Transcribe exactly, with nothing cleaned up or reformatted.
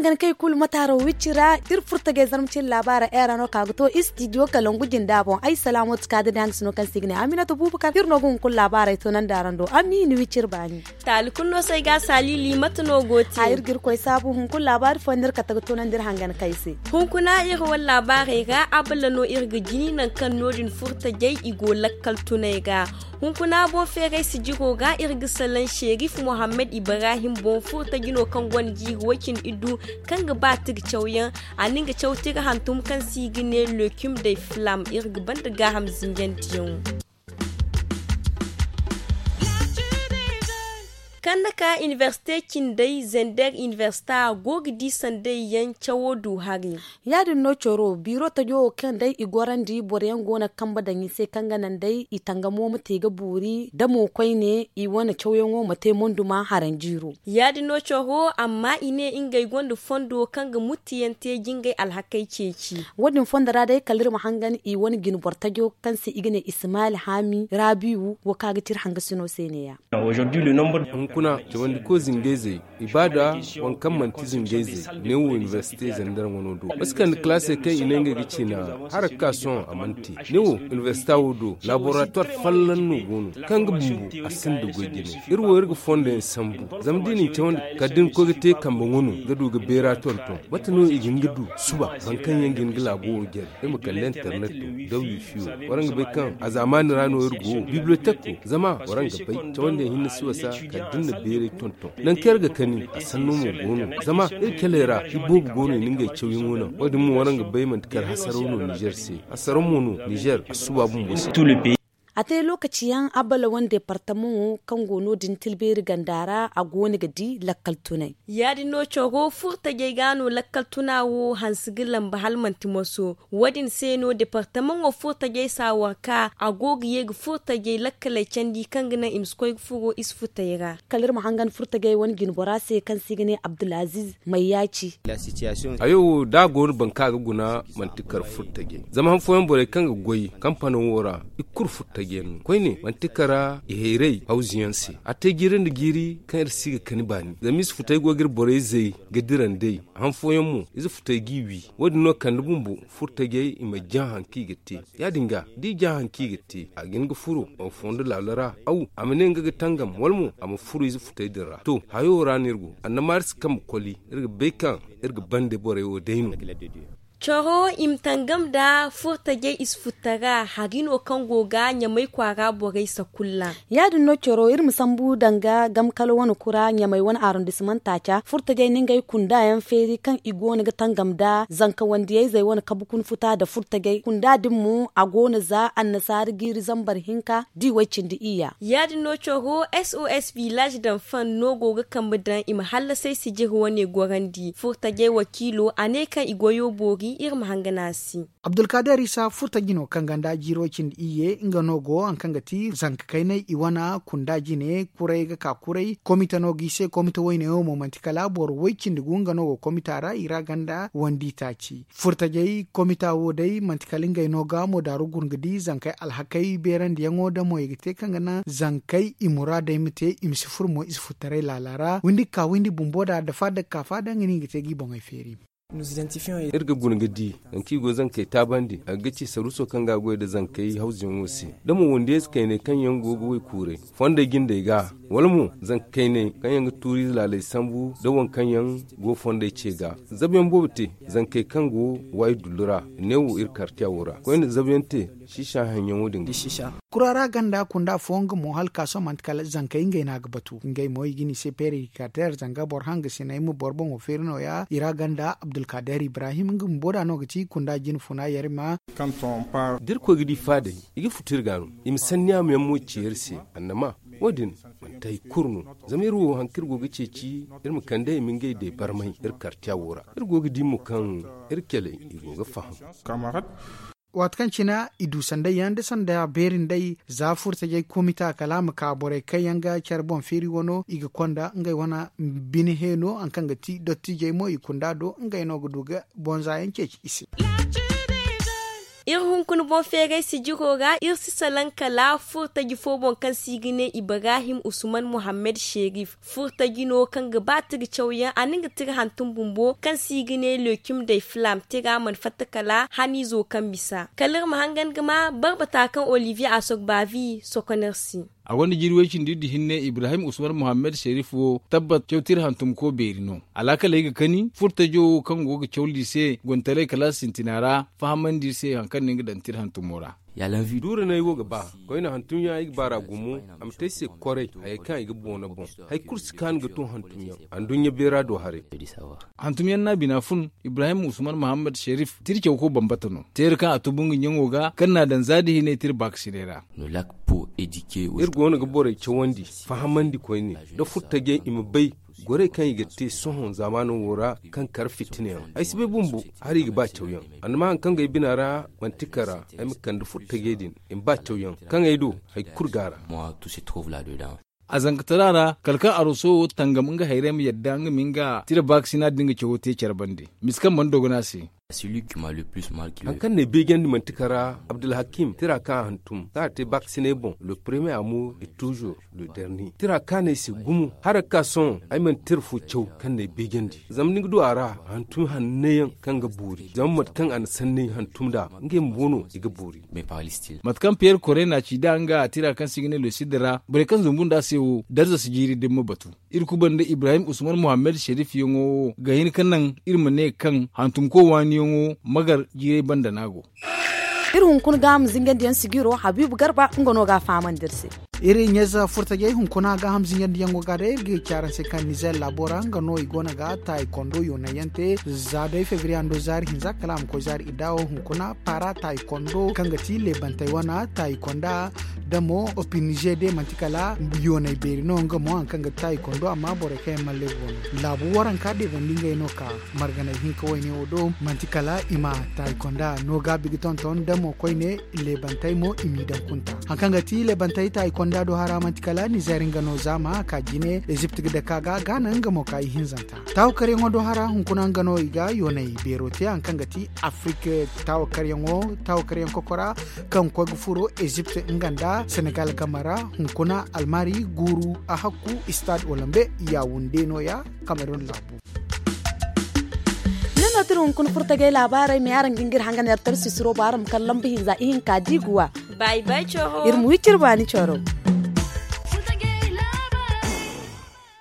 Hangan kay kulu mataaro wicci ra iri furtajey zarma cine laabaara era no ka ga to istidiyo kalangu jinda boŋ ay salaamooti ka da day hanga sino kaŋ se i ga ne aminata buubu kar iri no ga hunkuna laabaarey to nandi araŋ do amma i na wicci iri baani. Taali kulu no se ay ga a saalili mate no go te? Iri ga iri koy saabu hunkuna laabaari fooyaŋ no iri kate ga to nandi iri hangan kay se. Hunkuna iri wane laabaarey ra abala no iri ga jini nangu kaŋ no- din furtajey i go lakkal tunay ra. Hunkuna boŋ feeray sijiro ga iri ga salaŋ serif muhammad ibrahim boŋ furtaji no kaŋ gonda jiiri way- cindi iddu kaŋ ga ba tira cawyaŋ. A na nga caw tira hantum kaŋ se i ga ne lekim day flam iri ga banda gaaham zinjandiyaŋo. Kaŋ na ka inibersite cindey zender inibersita go ga di sanday yaŋ cawo du hari. Ya- din no coro biiro tajo wo kaŋ day i gorandi boro yaŋ go no ga kambe daŋ i se kaŋ ga naŋ day i tangamo ma te ga boori da mo koyne i wane cawyaŋo ma te monduma haranjiiro. Ya- din no coro amma i ne ngey gonda fondo kaŋ ga muttiyaŋ te jingay alhakey ceeci. Wo- din fondo ra day kala iri ma hangan i wane jine boro tajo kaŋ se i ga ne ismail haami raabiyu wo kaŋ a ga ti iri hangasino se ne- ya. Hunkuna cawandiko zingayzey ibaada waŋ kaŋ manti zingayzey ne wo inibersite zandar wano do masi kande kalaasey kaŋ i ne ngey ga ciina. Hara ga ka sohõ a mana te ne wo inibersita wo do laboratoire fallaŋ no go no kaŋ ga bumbo a sinda goy jine. Iri wo iri ga fondo yaŋ sambu zama da i na ni cawandi kala da ni koy ga te kambe wano ga du ga beera tonton mate no i ga hin ga du suba boro kaŋ yaŋ ga hin ga laabo wo jare iri ma kande internet do da wifi wo. Waraŋ ga bay kaŋ a zaamaani ra no iri go bibliotek wo zama waraŋ ga bay cawandiyaŋ hinne si wasa kala da ni na beeray tonton nangu kaŋ iri ga kani a sanno mo go no zama iri caley ra iboobo go no i na ngey cawyaŋo naŋ wo- din mo waraŋ ga bay manti kala hasaraw no nizer se hasaraw mo no nizer a suba bumbo se. A te lookaci yaŋ abala wane departamaŋo kaŋ go no- din tilbeeri ganda ra a go no ga di lakkal tunay. Ya- din no coro furtajey ga no lakkal tuna wo hanse ga lamba hala manti moso. Wo- din se no departamaŋo furtajey saawar ka a go ga ye ga furtajey lakkaley candi kaŋ ga naŋ i ma si koy ga furo i si futey ra. Kala iri ma hangan furtajey wane jinbora se kaŋ se i ga ne abdulaziz mayyaaci. Hayo wo da a go no boro kaŋ a ga guna manti kar furtajey zama han fooyaŋ borey kaŋ ga goy kampano wo ra i kulu furtajey no koyne manti kara i hayray hawzu yaŋ se a te jiiri nda jiiri kaŋ iri si ga kani baani zama i si futey go ga iri borey zay ga dira nd'ey han fooyaŋ mo ize futey g'i wi. Wo- din no kande bumbo furtajey i ma jaŋ hari kaŋ i ga te ya- din ga da i jaŋ hari kaŋ i ga te a ga hin ga furo fondo laalo ra aw a ma ne nga ga tangam wala mo a ma furo ize futey din ra to hayo ra no iri go annamaari si kambe koli iri ga bay kaŋ iri ga bande borey wo day no. Coro i ma tangam nda furtajey i si futta ra hari no kaŋ go ga ɲamay kwaara borey sakulla. Ya- din no coro iri ma sambu danga gamkala wane kura ɲamay wane arrondissement taaca furtajey na ngey kunda yaŋ feeri kaŋ i go no ga tangam nda zanka wandiyayzey wane kabu kuna futa nda furtajey kunda din mo a go no za annasaara jiiri zambar hinka da i way cindi iyya. Ya- din no coro sos village danfan no go ga kambe daŋ i ma hallasay sijiri wane gorandi furtajey wakiilo a ne kaŋ i goyo boori iri ma hangan a se. Abdulkader isa furtaji no kaŋ ganda jiiro cindi iyye nga no go hari kaŋ ga ti zanka kaynay i wana kunda jine kuray ga ka kuray komite no ga i se komite wayne wo mo manti kala boro way cindi gu nga no go komita ra i ra ganda wandi taaci furtajey komita wo day manti kala ngey no ga mo daaru gurŋa di zankey alhakey beerandiyaŋo da mo i ga te kaŋ ga naŋ zankey i muraadey ma te i ma si furo mo i si futtaray laala ra windi ga ka windi bumbo da da faada ga ka faada nga no i ga te ga i boŋey feeri. Iri ga guna ga di nangu kaŋ i go zankey taabandi a ga ci saruuso kaŋ ga a goy nda zankey hawzuyaŋo se da mo wandiyayze kayney kaŋ yaŋ go ga way kuuray fondey jindey ga wala mo zanka kayney kaŋ yaŋ ga tuuriize laaley sambu nda waŋ kaŋ yaŋ go fondey ce ga. Zabuyaŋ boobo te zankey kaŋ go waayi dullu ra neewo iri kartiya wo ra koyne zabuyaŋ te. Siisa haŋyaŋo din ga. Kuraara ganda kunda fooyaŋ ga mo hala ka sohõ manti kala zankey ngey no a ga batu ngey mo i ga ne i se peere i ga ka teer zanga boro hangasiney ma boro boŋo feeri nooya i ra ganda abdulkader ibrahim nga bumbo da no ga ti kunda jine funa yarima. Da iri koy ga di faadey i ga futu iri ga no i ma sanni a ma yaŋ mo ci iri se annama wo- din manti hari kulu no zama iri wo hari kaŋ iri go ga ceeci iri ma kande i ma ngey day barmay iri kartiya wo ra iri go ga di mo kaŋ iri caley i go ga faham. Waati kaŋ cine i du sanday yaŋ nda sanda beeri nday za furtajey komita kala a ma ka borey kaŋ yaŋ ga care boŋ feeri wano i ga konda ngey wane bine heeno hari kaŋ ga ti dottijey mo i kunda do ngey no ga du ga bonza yaŋ ceeci i se. Iri hunkuna boŋ feeray sijiro ra iri si salaŋ kala furtaji fo boŋ kaŋ se i ga ne ibrahim usman muhammad sherif. Furtaji no kaŋ ga ba tira cawyaŋ a na nga tira hantum bumbo kaŋ se i ga ne lekim day flam tira mana fatta kala haniizo kaŋ bisa kala iri ma hangan ga ma barbata kaŋ olivier asogbavi sokoner se. A gonda jiiri way cindi iri da hinne ibrahim usman muhammad sherif wo tabbat caw tira hantumko beeri no. Alaakaley ga kani furtajo wo kaŋ go ga cawndi se gontaray kala sintina ra fahamandi iri se hari kaŋ no ni ga daŋ tira hantumo ra. Duuranay wo ga ba koyne hantumyaŋ ay ga baar'a gumo. A ma te ay se koray hayey kaŋ ay ga boona boŋ. Hari kulu si kaanu ga to hantumyaŋ. Anduɲɲa beera do haray. Hantumyaŋ no a bina fun. Ibrahim usman muhammad sherif tira cawko bambata no teera kaŋ a tubu nga ɲaŋo ga kaŋ n'a daŋ za da hinay tira baakasinay ra. Iri go no ga borey cawandi fahamandi koyne nda furtajey i ma bay gorey kaŋ i ga te sohõ zaamaano wo ra kaŋ kar fitina yaŋ. Ay si bay bumbo hala i ga ba cawyaŋ. Annama hari kaŋ go ay bina ra manti kara ay ma kande furtajey din i ma ba cawyaŋ kaŋ ay do hari kulu go a ra. A zankatara ra kala kaŋ aroso wo tangam nga hayray ma yadda nga ma nga tira baakasina din ga cawo te care bande. Misa kaŋ mana dogon a se. Hari kaŋ n'ay beejandi manti kara abdulhakim tira kaŋ a hantum kaŋ a te baakasinay boŋ le premier amour et toujours le dernier tira kaŋ a n'ay se gumo hala ga ka sohõ ay mana tira fo caw kaŋ n'ay beejandi. Zama ni ga du a ra hantum hanno yaŋ kaŋ ga boori zama mate kaŋ a na sanney hantum nd'a ngey bumbo no i ga boori. Mate kaŋ piyer kore n'a ci nd'a nga tira kaŋ se i ga ne losid ra borey kaŋ zumbu nd'a se wo darza si jiiri da ni ma batu. Iri kuba nda ibrahim usman muhammad sherif yaŋo wo ga hin ga naŋ iri ma ne kaŋ hantumko waaniyaŋo magar jiiray banda no a go. Iri hunkuna ga a ma zingandiyaŋ sijiro habiibu garba nga no ga a fahamandi iri se. Iri ɲayze furtajey hunkuna gaaham zingandiyaŋo ga day iri ga ci araŋ se kaŋ nizer laabo ra nga no i go no ga taayi kondo yoonayyaŋ te. Za day febriye hando zaari hinza kala a ma koy zaari idda wo hunkuna paara taayi kondo kaŋ ga ti leebantey wane taayi konda da mo opinize de manti kala yooney beeri no nga mo hari kaŋ ga ti taayi kondo amma borey kaŋ yaŋ mana leebu boŋ no. Laabu waranka deebandi ngey no ka marganay hinka wayne wo do manti kala i ma taayi konda no gaabi ga tonton da mo koyne. Leebantey mo i m'i daŋ kunta hari kaŋ ga ti leebantey taayi konda do hara manti kala nizer nga no zaama ka jine ezipt ga dake a ga gaana nga mo ka ihinzanta. Taawakaryaŋo do hara hunkuna nga no i ga yoonay beero te hari kaŋ ga ti afrik. Taawakaryaŋo taawakaryaŋ kokora kaŋ koy ga furo ezipt nga nda senegal game ra hunkuna almari guuru a hakku stade olombe yawunde no- ya. Kamerun laabu. Ni no tira hunkuna furtagay laabaarey me araŋ ga hin ga iri hangan iri tara sisiro ba araŋ ma kala lamba hinza ihinka da i ga wa. Iri ma wi cire baani coro.